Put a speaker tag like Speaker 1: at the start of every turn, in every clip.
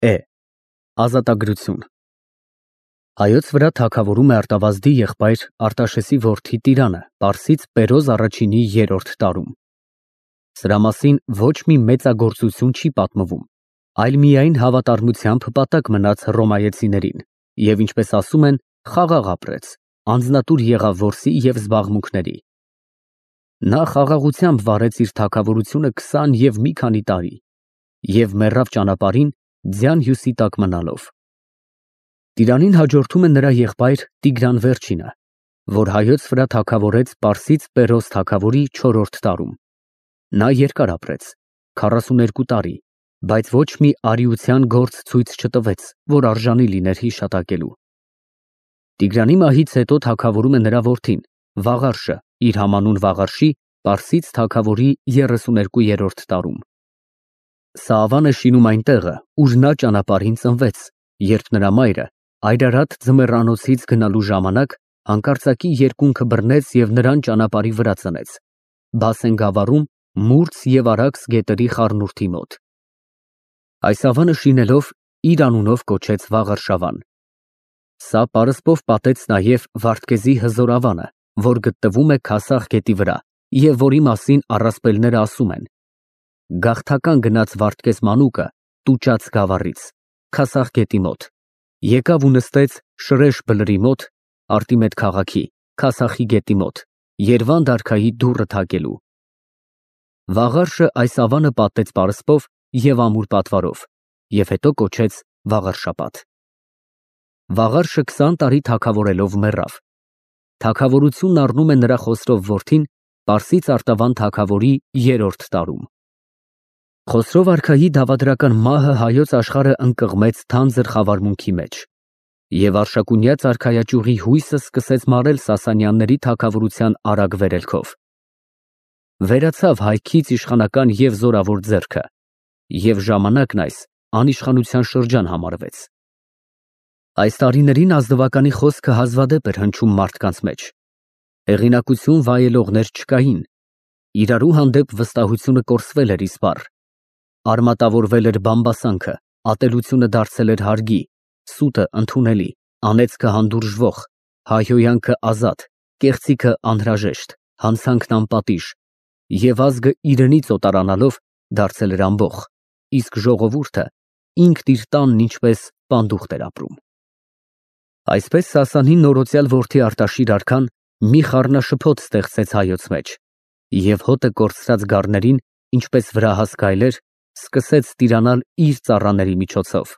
Speaker 1: Է. Ազատագրություն։ Հայոց վրա թագավորում է Արտավազդի եղբայր Արտաշեսի որդի Տիրանը պարսից Պերոզ առաջինի 3-րդ տարում։ Սրա մասին ոչ մի մեծագործություն չի պատմվում, այլ միայն հավատարմությամբ հպատակ մնաց հռոմայեցիներին և, ինչպես ասում են, խաղաղ ապրեց, անձնատուր եղավ որսի և զբաղմունքների։ Նա խաղաղությամբ վարեց իր թագավորությունը 20 և մի քանի տարի և մեռավ ճանապարհին ձյան հյուսի տակ մնալով։ Տիրանին հաջորդում է նրա եղբայր Տիգրան Վերջինը, որ հայոց վրա թագավորեց պարսից Պերոզ թագավորի 4-րդ տարում։ Նա երկար ապրեց, 42 տարի, բայց ոչ մի արիության գործ ցույց չտվեց, որ արժանի լիներ հիշատակելու։ Տիգրանի մահից հետո թագավորում է նրա որդին Վաղարշը իր համանուն Վաղարշի պարսից թագավորի 32-րդ տարում։ Սա ավան է շինում այն տեղը, ուր նա ճանապարհին ծնվեց, երբ նրա մայրը Այրարատ ձմեռանոցից գնալու ժամանակ հանկարծակի երկունքը բռնեց և նրան ճանապարհի վրա ծնեց, Բասեն գավառում Մուրց և Արաքս գետերի խառնուրդի մոտ։ Այս ավանը շինելով իր անունով կոչեց Վաղարշավան։ Սա պարսպով պատեց նաև Վարդգեզի Հզոր ավանը, որ գտնվում է Քասախ գետի վրա և որի մասին առասպելները ասում են. գաղթական գնաց Վարդգեզ մանուկը Տուճաց գավառից, Քասախ գետի մոտ, եկավ ու նստեց Շրեշ բլրի մոտ, Արտիմետ քաղաքի, Քասախի գետի մոտ, Երվանդ արքայի դուռը թակելու։ Վաղարշը այս ավանը պատեց պարսպով և ամուր պատվարով և հետո կոչեց Վաղարշապատ։ Վաղարշը 20 տարի թագավորելով մեռավ։ Թագավորությունն առնում է նրա Խոսրով որդին պարսից Արտավան թագավորի 3-րդ տարում։ Խոսրով արքայի դավադրական մահը հայոց աշխարհը ընկղմեց թանձր խավարմունքի մեջ, և Արշակունյաց արքայաճյուղի հույսը սկսեց մարել Սասանյանների թագավորության արագ վերելքով։ Վերացավ հայքից իշխանական և զորավոր ձեռքը, և ժամանակն այս անիշխանության շրջան համարվեց։ Այս տարիներին ազնվականի խոսքը հազվադեպ էր հնչում մարդկանց մեջ։ Հեղինակություն վայելողներ չկային, իրարու հանդեպ վստահությունը կորսվել էր իսպառ, արմատավորվել էր բամբասանքը, ատելությունը դարձել էր հարգի, սուտը ընդունելի, անեծքը հանդուրժվող, հայհոյանքը ազատ, կեղծիքը անհրաժեշտ, հանցանքն անպատիժ, և ազգը իրենից օտարանալով դարձել էր ամբոխ, իսկ ժողովուրդը ինքն իր տանն ինչպես պանդուխտ էր ապրում։ Այսպես Սասանի նորոցյալ որդի Արտաշիր արքան մի խառնաշփոթ ստեղծեց հայոց մեջ, և հոտը կորցրած գառներին, ինչպես վրահաս գայլեր, սկսեց տիրանալ իր ծառաների միջոցով,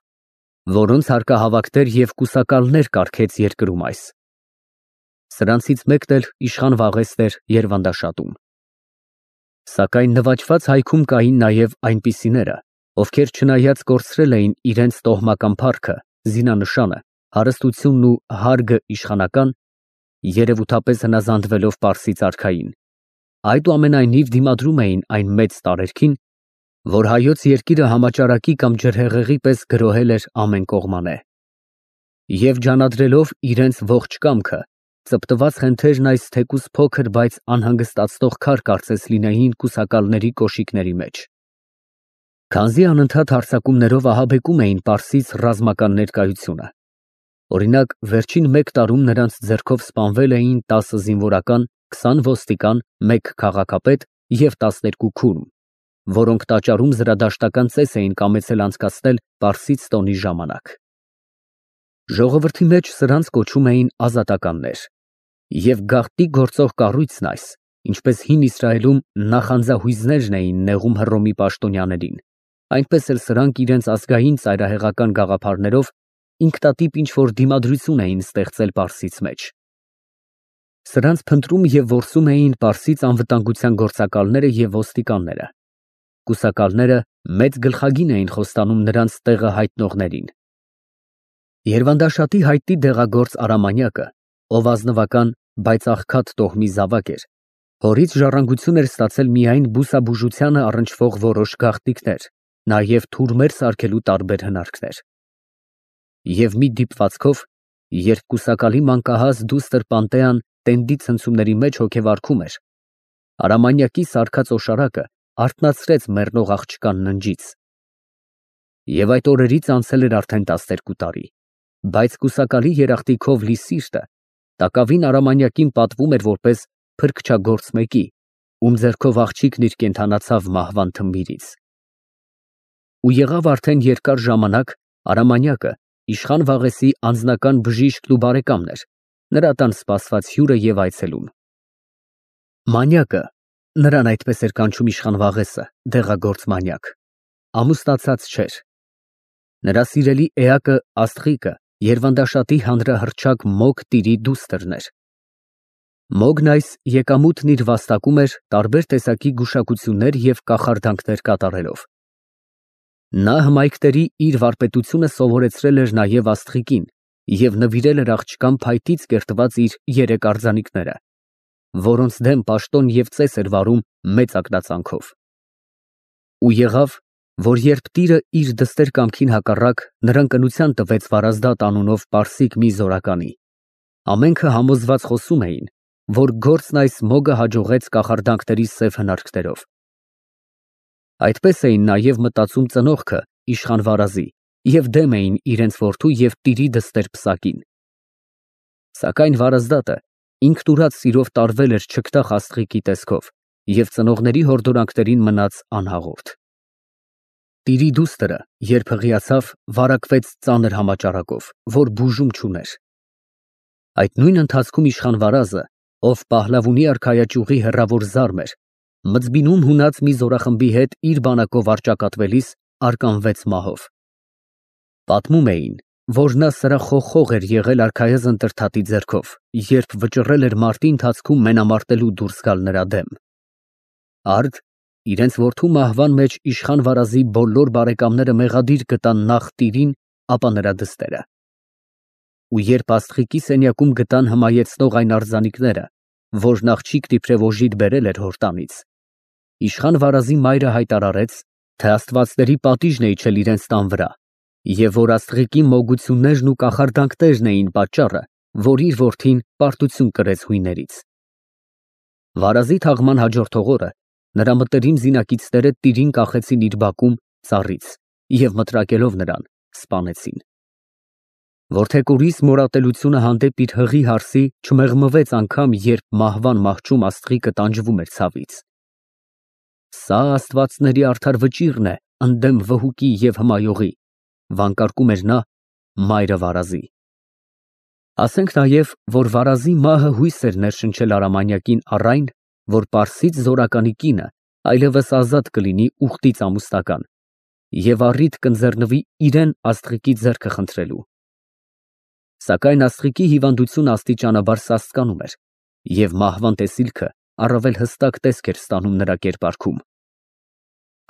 Speaker 1: որոնց հարկահավաքներ և կուսակալներ կարգեց երկրում այս։ Սրանցից մեկն էլ իշխան Վաղեստ էր Երվանդաշատում։ Սակայն նվաճված հայքում կային նաև այնպիսիները, ովքեր չնայած կորցրել էին իրենց տոհմական փառքը, զինանշանը, հարստությունն ու հարգը իշխանական, երևութապես հնազանդվելով պարսից արքային, այդուամենայնիվ դիմադրում էին այն մեծ տարերքին, որ հայոց երկիրը համաճարակի կամ ջրհեղեղի պես գրոհել էր ամեն կողմանե։ Եվ ջանադրելով իրենց ողջ կամքը, ծպտված խենթերն այս թեկուզ փոքր, բայց անհանգստացնող քար կարծես լինեին կուսակալների կոշիկների մեջ։ Քանզի անընդհատ հարձակումներով ահաբեկում էին պարսից ռազմական ներկայությունը։ Օրինակ, վերջին 1 տարում նրանց ձեռքով սպանվել էին 10 զինվորական, 20 ոստիկան, 1 քաղաքապետ և 12 քուրմ, որոնք տաճարում զրադաշտական ծես էին կամեցել անցկացնել պարսից տոնի ժամանակ։ Ժողովրդի մեջ սրանց կոչում էին ազատականներ, և գաղտնի գործող կառույցն այս, ինչպես հին Իսրայելում նախանձահույզներն էին նեղում Հռոմի պաշտոնյաներին, այնպես էլ սրանք իրենց ազգային ծայրահեղական գաղափարներով ինքնատիպ ինչ-որ դիմադրություն էին ստեղծել պարսից մեջ։ Սրանց փնտրում և որսում էին պարսից անվտանգության գործակալները և ոստիկանները։ Կուսակալները մեծ գլխագին էին խոստանում նրանց տեղը հայտնողներին։ Երվանդաշատի հայտնի դեղագործ Արամանյակը, ով ազնվական, բայց աղքատ տոհմի զավակ էր, հորից ժառանգություն էր ստացել միայն բուսաբուժությանը առնչվող որոշ գաղտնիքներ, նաև թուրմեր սարքելու տարբեր հնարքներ։ Եվ մի դիպվածքով, երբ կուսակալի մանկահաս դուստր Պանտեան տենդի ցնցումների մեջ հոգևարքում էր, Արամանյակի սարքած օշարակը արթնացրեց մեռնող աղջկան ննջից։ Եվ այդ օրերից անցել էր արդեն 12 տարի, բայց կուսակալի երախտիկով լի սիրտը տակավին Արամանյակին պատվում էր որպես փրկչագործ մեկի, ում ձեռքով աղջիկն իր կենդանացավ մահվան թմբիրից։ Ու եղավ արդեն երկար ժամանակ Արամանյակը իշխան Վաղեսի անձնական բժիշկն ու բարեկամն էր, նրա տան սպասված հյուրը և այցելուն։ Մանյակը, նրան այդպես էր կանչում իշխան Վաղեսը, դեղագործ Մանյակ, ամուսնացած չէր։ Նրա սիրելի էակը Աստղիկը Երվանդաշատի հանրահռչակ Մոգ տիրի դուստրն էր։ Մոգն այս եկամուտն իր վաստակում էր տարբեր տեսակի գուշակություններ և կախարդանքներ կատարելով։ Նա հմայքների իր վարպետությունը սովորեցրել էր նաև Աստղիկին և նվիրել էր աղջկան փայտից կերտված իր 3 արձանիկները, որոնց դեմ պաշտոն և ծես էր վարում մեծ ակնածանքով։ Ու եղավ, որ երբ տիրը իր դստեր կամքին հակառակ նրան կնության տվեց Վարազդատ անունով պարսիկ մի զորականի, ամենքը համոզված խոսում էին, որ գործն այս Մոգը հաջողեց կախարդանքների սև հնարքներով։ Այդպես էին նաև մտածում ծնողքը իշխան Վարազի և դեմ էին իրենց որդու և տիրի դստեր պսակին։ Սակայն Վարազդատը ինքնուրած սիրով տարվել էր չգտախ Աստղիկի տեսքով և ծնողների հորդորանքներին մնաց անհաղորդ։ Տիրի դուստրը, երբ հղիացավ, վարակվեց ծանր համաճարակով, որ բուժում չուներ։ Այդ նույն ընթացքում իշխան Վարազը, ով Պահլավունի արքայաճյուղի հեռավոր զարմ էր, Մծբինում հունած մի զորախմբի հետ իր բանակով առճակատվելիս արկանվեց մահով։ Պատմում էին, որ նա սրախոխող էր եղել արքայազն Տրդատի ձեռքով, երբ վճռել էր մարտի ընթացքում մենամարտելու դուրս գալ նրա դեմ։ Արդ իրենց որդու մահվան մեջ իշխան Վարազի բոլոր բարեկամները մեղադիր գտան նախ տիրին, ապա նրա դստերը։ Ու երբ Աստղիկի սենյակում գտան հմայեցնող այն արձանիկները, որն աղջիկն իբրև օժիտ բերել էր հոր տանից, իշխան Վարազի մայրը հայտարարեց, թե աստվածների պատիժն է իջել իրենց տան վրա, և որ Աստղիկի մոգություններն ու կախարդանքներն էին պատճառը, որ իր որդին պարտություն կրեց հույներից։ Վարազի թաղման հաջորդող օրը նրա մտերիմ զինակիցները տիրին կախեցին իր բակում ծառից և մտրակելով նրան սպանեցին։ Որդեկորիս մորատելությունը հանդեպ իր հղի հարսի չմեղմվեց անգամ, երբ մահվան մահճում Աստղիկը տանջվում էր ցավից։ Սա աստվածների արդար վճիռն է ընդդեմ վհուկի և հմայողի, վանկարկում էր նա մայրը Վարազի։ Ասենք նաև, որ Վարազի մահը հույս էր ներշնչել Արամանյակին առ այն, որ պարսից զորականի կինը այլևս ազատ կլինի ուխտից ամուսնական և առիթ կընձեռնվի իրեն Աստղիկի ձեռքը խնդրելու։ Սակայն Աստղիկի հիվանդությունը աստիճանաբար սաստկանում էր, և մահվան տեսիլքը առավել հստակ տեսք էր ստանում նրա կերպարքում։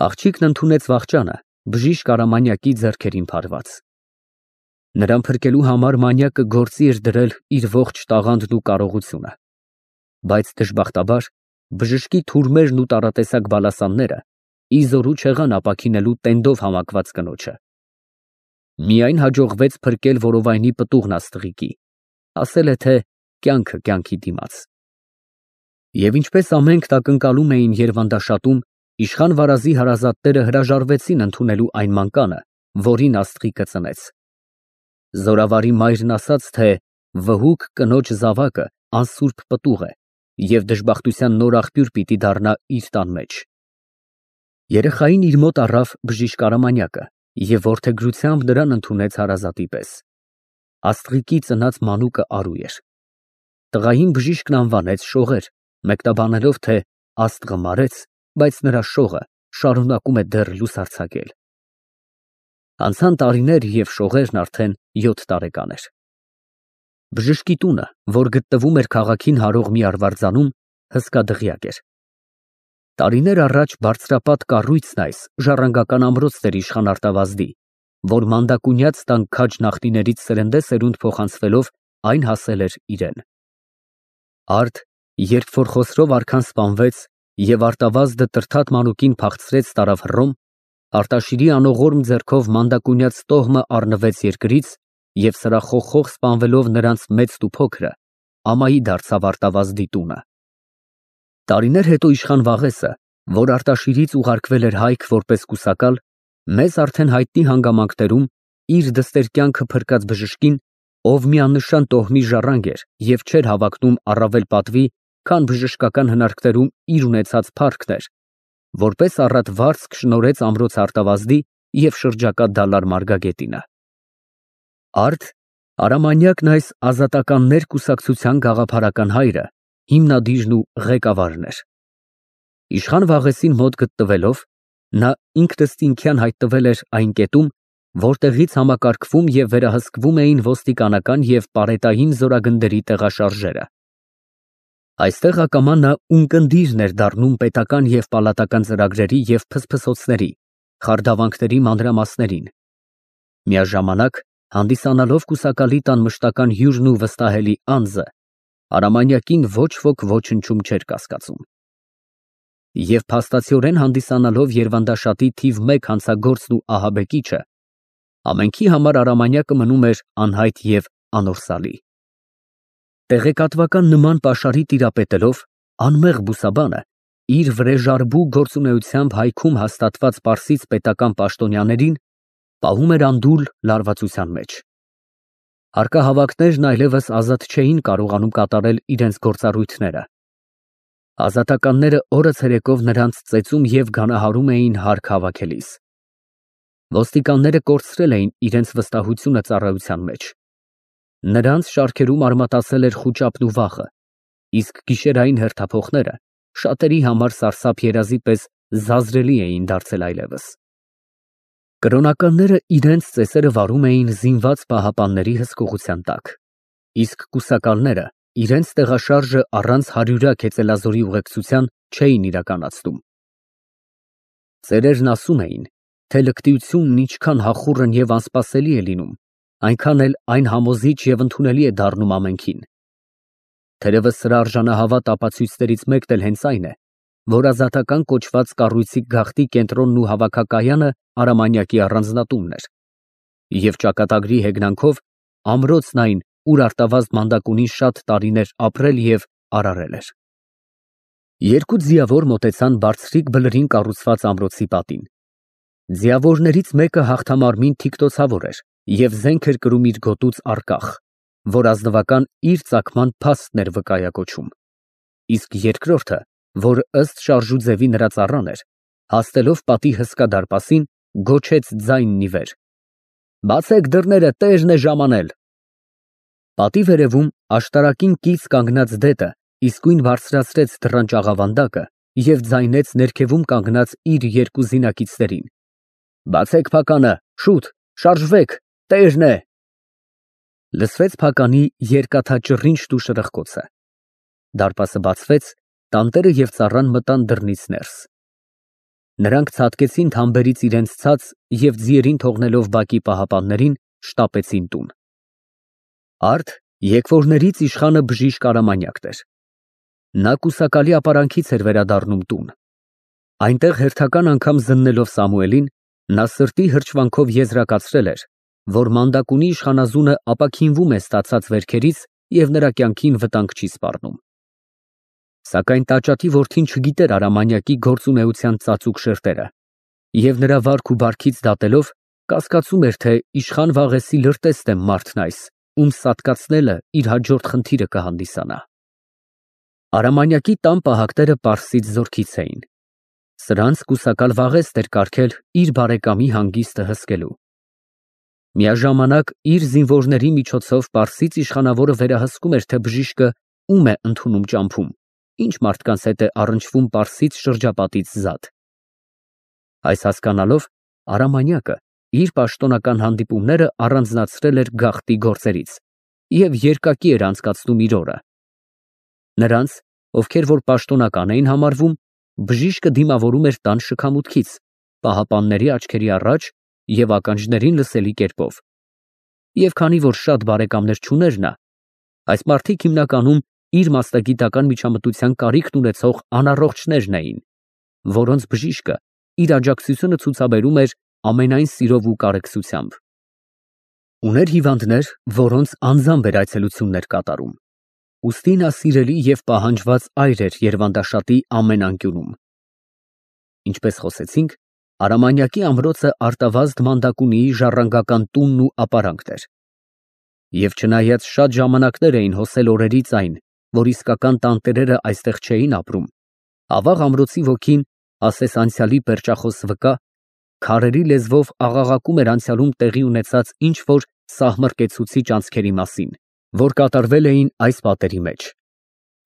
Speaker 1: Աղջիկն ընդունեց վախճանը բժիշկ Արամանյակի ձեռքերին փարված։ Նրան փրկելու համար Մանյակը գործի էր դրել իր ողջ տաղանդն ու կարողությունը, բայց դժբախտաբար բժշկի թուրմերն ու տարատեսակ բալասանները ի զորու չեղան ապաքինելու տենդով համակված կնոջը։ Միայն հաջողվեց փրկել որովայնի պտուղն Աստղիկի, ասել է, թե կյանքը կյանքի դիմաց։ Եվ ինչպես ամենք տակնկալում էին Երվանդաշատում, իշխան Վարազի հարազատները հրաժարվեցին ընդունելու այն մանկանը, որին Աստղիկը ծնեց։ Զորավարի մայրն ասաց, թե վհուկ կնոջ զավակը անսուրբ պտուղ է և դժբախտության նոր աղբյուր պիտի դառնա իր տան մեջ։ Երեխային իր մոտ առավ բժիշկ Արամանյակը և որդեգրությամբ նրան ընդունեց հարազատի պես։ Աստղիկի ծնած մանուկը արու էր։ Տղային բժիշկն անվանեց Շողեր, մեկնաբանելով, թե Աստղը մարեց, բայց նրա շողը շարունակում է դեռ լուսարձակել։ Անցան տարիներ, և Շողերն արդեն 7 տարեկան էր։ Բժշկի տունը, որ գտնվում էր քաղաքին հարող մի արվարձանում, հսկա դղյակ էր։ Տարիներ առաջ բարձրապատ կառույցն այս ժառանգական ամրոցն էր իշխան Արտավազդի, որ մանդակունյաց տան քաջ նախնիներից սերնդեսերունդ փոխանցվելով այն հասել էր իրեն։ Արդ, երբ որ Խոսրով արքան սպանվեց և Արտավազդը Տրդատ մանուկին փախցրեց տարավ Հռոմ, Արտաշիրի անողորմ ձեռքով մանդակունյաց տոհմը առնվեց երկրից և սրախոխող սպանվելով նրանց մեծն ու փոքրը, ամայի դարձավ Արտավազդի տունը։ Տարիներ հետո իշխան Վաղեսը, որ Արտաշիրից ուղարկվել էր Հայք որպես կուսակալ, մեզ արդեն հայտնի հանգամանքներում իր դստեր կյանքը փրկած բժշկին, ով միանշան տոհմի ժառանգ էր և չէր հավակնում առավել պատվի, քան բժշկական հնարքներում իր ունեցած փառքն էր, որպես առատ վարձք շնորհեց ամրոց արտավազդի և շրջակա դալար Մարգագետինը։ Արդ Արամանյակն այս ազատականներ կուսակցության գաղափարական հայրը, հիմնադիրն ու ղեկավարն էր։ Իշխան Վաղեսին մոտ գտնվելով, նա ինքնըստինքյան հայտնվել էր այն կետում, որտեղից համակարգվում և վերահսկվում էին ոստիկանական և պարետային զորագնդերի տեղաշարժերը։ Այստեղ ակամա նա ունկնդիրն էր դառնում պետական և պալատական ծրագրերի և փսփսոցների, խարդավանքների մանրամասներին, միաժամանակ հանդիսանալով կուսակալի տան մշտական հյուրն ու վստահելի անձը, Արամանյակին ոչ ոք ոչնչում չէր կասկածում։ Եվ փաստացիորեն հանդիսանալով Երվանդաշատի թիվ 1 հանցագործն ու ահաբեկիչը, ամենքի համար Արամանյակը մնում էր անհայտ և անորսալի։ Տեղեկատվական նման պաշարի տիրապետելով, անմեղ բուսաբանը իր վրեժարբու գործունեությամբ հայքում հաստատված պարսից պետական պաշտոնյաներին պահում էր անդուլ լարվածության մեջ։ Հարկահավաքներն այլևս ազատ չէին կարողանում կատարել իրենց գործառույթները։ Ազատականները օրը ցերեկով նրանց ծեծում և գանահարում էին հարկ հավաքելիս։ Ոստիկանները կորցրել էին իրենց վստահությունը ծառայության մեջ։ Նրանց շարքերում արմատացել էր խուճապն ու վախը, իսկ գիշերային հերթափոխները շատերի համար սարսափ երազի պես զազրելի էին դարձել այլևս։ Կրոնականները իրենց ծեսերը վարում էին զինված պահապանների հսկողության տակ, իսկ կուսակալները իրենց տեղաշարժը առանց հարյուրյակ հեծելազորի ուղեկցության չէին իրականացնում։ Ծերերն ասում էին, թե լկտիությունն ինչքան հախուռն և անսպասելի է լինում, այնքան էլ այն համոզիչ և ընդունելի է դառնում ամենքին։ Թերևս սրա արժանահավատ ապացույցներից մեկն էլ հենց այն է, որ ազատական կոչված կառույցի գաղտնի կենտրոնն ու հավաքակայանը Արամանյակի առանձնատունն էր, և ճակատագրի հեգնանքով ամրոցն այն, ուր արտավազդ մանդակունին շատ տարիներ ապրել և արարել էր։ Երկու ձիավոր մոտեցան բարձրիկ բլրին կառուցված ամրոցի պատին։ Ձիավորներից մեկը հաղթամարմին թիկնոցավոր էր և զենք էր կրում իր գոտուց առկախ, որ ազնվական իր ծագման փաստն էր վկայակոչում, իսկ երկրորդը, որ ըստ շարժու ձևի նրա ծառան էր, հասնելով պատի հսկա դարպասին, գոչեց ձայնն ի վեր. «Բացեք դռները, տերն է ժամանել»։ Պատի վերևում աշտարակին կից կանգնած դետը իսկույն բարձրացրեց դռան ճաղավանդակը և ձայնեց ներքևում կանգնած իր երկու զինակիցներին. «Բացեք փականը, շուտ, շարժվեք, տերն է»։ Լսվեց փականի երկաթաճռինչն ու շրխկոցը։ Դարպասը բացվեց, տանտերը և ծառան մտան դռնից ներս։ Նրանք ցատկեցին թամբերից իրենց ցած և ձիերին թողնելով բակի պահապաններին, շտապեցին տուն։ Արդ եկվորներից իշխանը բժիշկ Արամանյակն էր։ Նա կուսակալի ապարանքից էր վերադառնում տուն։ Այնտեղ հերթական անգամ զննելով Սամուելին, նա սրտի հրճվանքով եզրակացրել էր, որ մանդակունի իշխանազունը ապաքինվում է ստացած վերքերից և նրա կյանքին վտանգ չի սպառնում։ Սակայն տաճատի որդին չգիտեր Արամանյակի գործունեության ծածուկ շերտերը և նրա վարք ու բարքից դատելով, կասկածում էր, թե իշխան Վաղեսի լրտեստ է մարդն այս, ում սատկացնելը իր հաջորդ խնդիրը կհանդիսանա։ Արամանյակի տան պահակները պարսից զորքից էին։ Սրանց կուսակալ Վաղեստ էր կարգել իր բարեկամի հանգիստը հսկելու։ Միաժամանակ իր զինվորների միջոցով պարսից իշխանավորը վերահսկում էր, թե բժիշկը ում է ընդունում ճամփում, ինչ մարդկանց հետ է առնչվում պարսից շրջապատից զատ։ Այս հասկանալով, Արամանյակը իր պաշտոնական հանդիպումները առանձնացրել էր գաղտնի գործերից և երկակի էր անցկացնում իր օրը։ Նրանց, ովքեր որ պաշտոնական էին համարվում, բժիշկը դիմավորում էր տան շքամուտքից, պահապանների աչքերի առաջ և ականջներին լսելի կերպով։ Եվ քանի որ շատ բարեկամներ չուներ նա, այս մարդիկ հիմնականում իր մասնագիտական միջամտության կարիքն ունեցող անառողջներն էին, որոնց բժիշկը իր աջակցությունը ցուցաբերում էր ամենայն սիրով ու կարեկցությամբ։ Ուներ հիվանդներ, որոնց անձամբ էր այցելություններ կատարում, ուստի նա սիրելի և պահանջված այր էր Երվանդաշատի ամեն անկյունում։ Ինչպես խոսեցինք, Արամանյակի ամրոցը արտավազդ մանդակունիի ժառանգական տունն ու ապարանքն էր։ Եվ չնայած շատ ժամանակներ էին հոսել օրերից այն, որ իսկական տանտերերը այստեղ չէին ապրում, ավաղ ամրոցի ոգին, ասես անցյալի պերճախոս վկա, քարերի լեզվով աղաղակում էր անցյալում տեղի ունեցած ինչ-որ սահմռկեցուցիչ անցքերի մասին, որ կատարվել էին այս պատերի մեջ։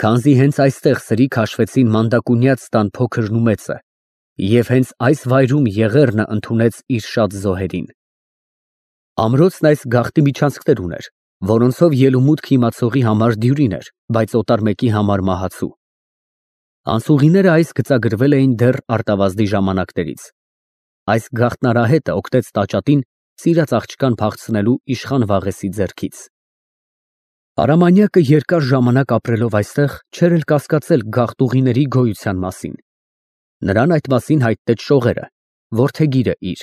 Speaker 1: Քանզի հենց այստեղ սրի քաշվեցին մանդակունյաց տան փոքրն ու մեծը, և հենց այս վայրում Եղեռնը ընդունեց իր շատ զոհերին։ Ամրոցն այս գաղտնի միջանցքներ ուներ, որոնցով ելումուտք իմացողի համար դյուրին էր, բայց օտար մեկի համար մահացու։ Անցուղիները այս գծագրվել էին դեռ արտավազդի ժամանակներից։ Այս գաղտնարահետը օգտեց տաճատին սիրած աղջկան փախցնելու իշխան Վաղեսի ձեռքից։ Արամանյակը երկար ժամանակ ապրելով այստեղ չէր էլ կասկածել գաղտուղիների գոյության մասին։ Նրան այդ մասին հայտնեց շողերը, որդեգիրը իր,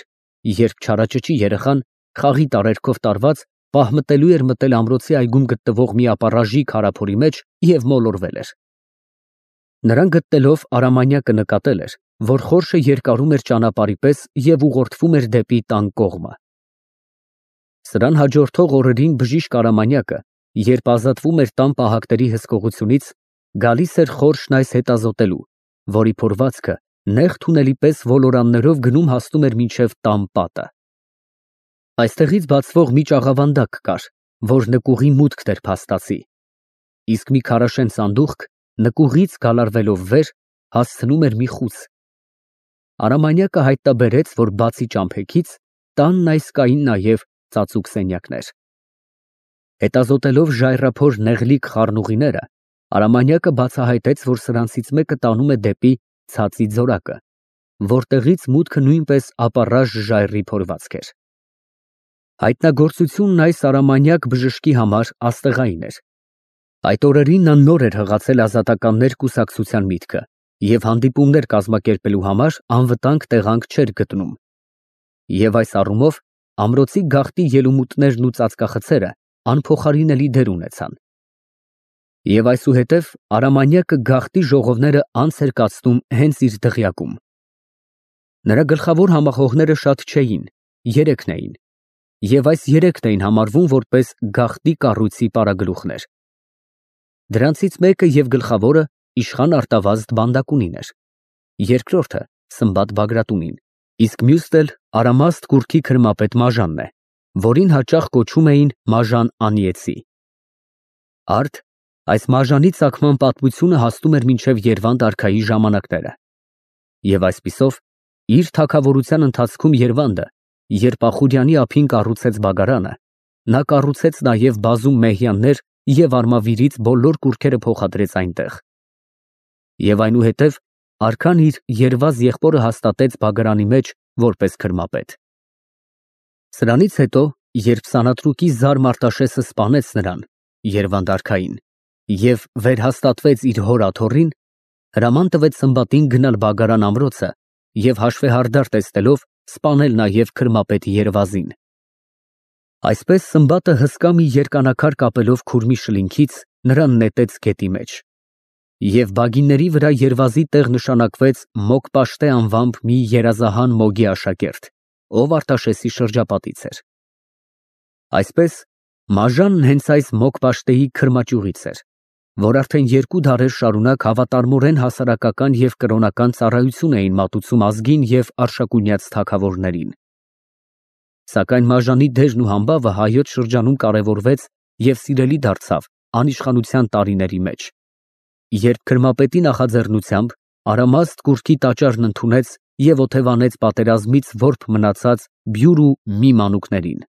Speaker 1: երբ չարաճճի երեխան, խաղի տարերքով տարված, պահմտելու էր մտել ամրոցի այգում գտնվող մի ապառաժի քարափորի մեջ և մոլորվել էր։ Նրան գտնելով Արամանյակը նկատել էր, որ խորշը երկարում էր ճանապարհի պես և ուղղորդվում էր դեպի տան կողմը։ Սրան հաջորդող օրերին բժիշկ Արամանյակը, երբ ազատվում էր տան պահակների հսկողությունից, գալիս էր խորշն այս հետազոտելու, որի փորվածքը նեղ թունելի պես ոլորաններով գնում հասնում էր մինչև տան պատը։ Այստեղից բացվող մի ճաղավանդակ կար, որ նկուղի մուտքն էր փաստացի, իսկ մի քարաշեն սանդուղք նկուղից գալարվելով վեր հասցնում էր մի խուց։ Արամանյակը հայտնաբերեց, որ բացի ճամփեքից, տանն այս կային նաև ծածուկ սենյակներ։ Հետազոտելով ժայռափոր նեղլիկ խառնուղիները, Արամանյակը բացահայտեց, որ սրանցից մեկը տանում է դեպի Ցածի ձորակը, որտեղից մուտքը նույնպես ապառաժ ժայռի փորվածք էր։ Հայտնագործությունն այս Արամանյակ բժշկի համար աստեղային էր։ Այդ օրերին նա նոր էր հղացել ազատականներ կուսակցության միտքը և հանդիպումներ կազմակերպելու համար անվտանգ տեղանք չէր գտնում։ Եվ այս առումով ամրոցի գաղտնի ելումուտներն ու ծածկախցերը անփոխարինելի դեր ունեցան։ Եվ այսուհետև Արամանյակը գաղտնի ժողովները անց էր կացնում հենց իր դղյակում։ Նրա գլխավոր համախոհները շատ չէին, երեքն էին, և այս երեքն էին համարվում որպես գաղտնի կառույցի պարագլուխներ։ Դրանցից մեկը և գլխավորը իշխան Արտավազդ բանդակունին էր, երկրորդը Սմբատ Բագրատունին, իսկ մյուսն էլ Արամաստ կուռքի քրմապետ Մաժանն է, որին հաճախ կոչում էին Մաժան Անիեցի։ Արդ այս Մաժանի ծագման պատմությունը հասնում էր մինչև Երվանդ արքայի ժամանակները։ Եվ այսպիսով, իր թագավորության ընթացքում Երվանդը, երբ Ախուրյանի ափին կառուցեց բագարանը, նա կառուցեց նաև բազում մեհյաններ և Արմավիրից բոլոր կուռքերը փոխադրեց այնտեղ։ Եվ այնուհետև արքան իր երվազ եղբորը հաստատեց բագարանի մեջ որպես քրմապետ։ Սրանից հետո, երբ Սանատրուկի Զար Մարտաշեսը սպանեց նրան, Երվանդ արքային, և վերհաստատվեց իր հոր աթոռին, հրաման տվեց Սմբատին գնալ բագարան ամրոցը և հաշվեհարդար տեսնելով սպանել նաև քրմապետ Երվազին։ Այսպես Սմբատը հսկա մի երկանակար կապելով քուրմի շլինքից նրան նետեց գետի մեջ։ Եվ բագինների վրա Երվազի տեղ նշանակվեց Մոկ-Պաշտե անվամբ մի երազահան Մոգի աշակերտ, ով Արտաշեսի շրջապատից էր։ Այսպես Մաժանն հենց այս Մոկ-Պաշտեի քրմաճյուղից էր, որ արդեն 2 դարեր շարունակ հավատարմորեն հասարակական և կրոնական ծառայություն էին մատուցում ազգին և արշակունյաց թագավորներին։ Սակայն Մաժանի դերն ու համբավը հայոց շրջանում կարևորվեց և սիրելի դարձավ անիշխանության տարիների մեջ, երբ քրմապետի նախաձեռնությամբ Արամաստ կուռքի տաճարն ընդունեց և օթևանեց պատերազմից որբ մնացած Բյուր ու Մի մանուկներին։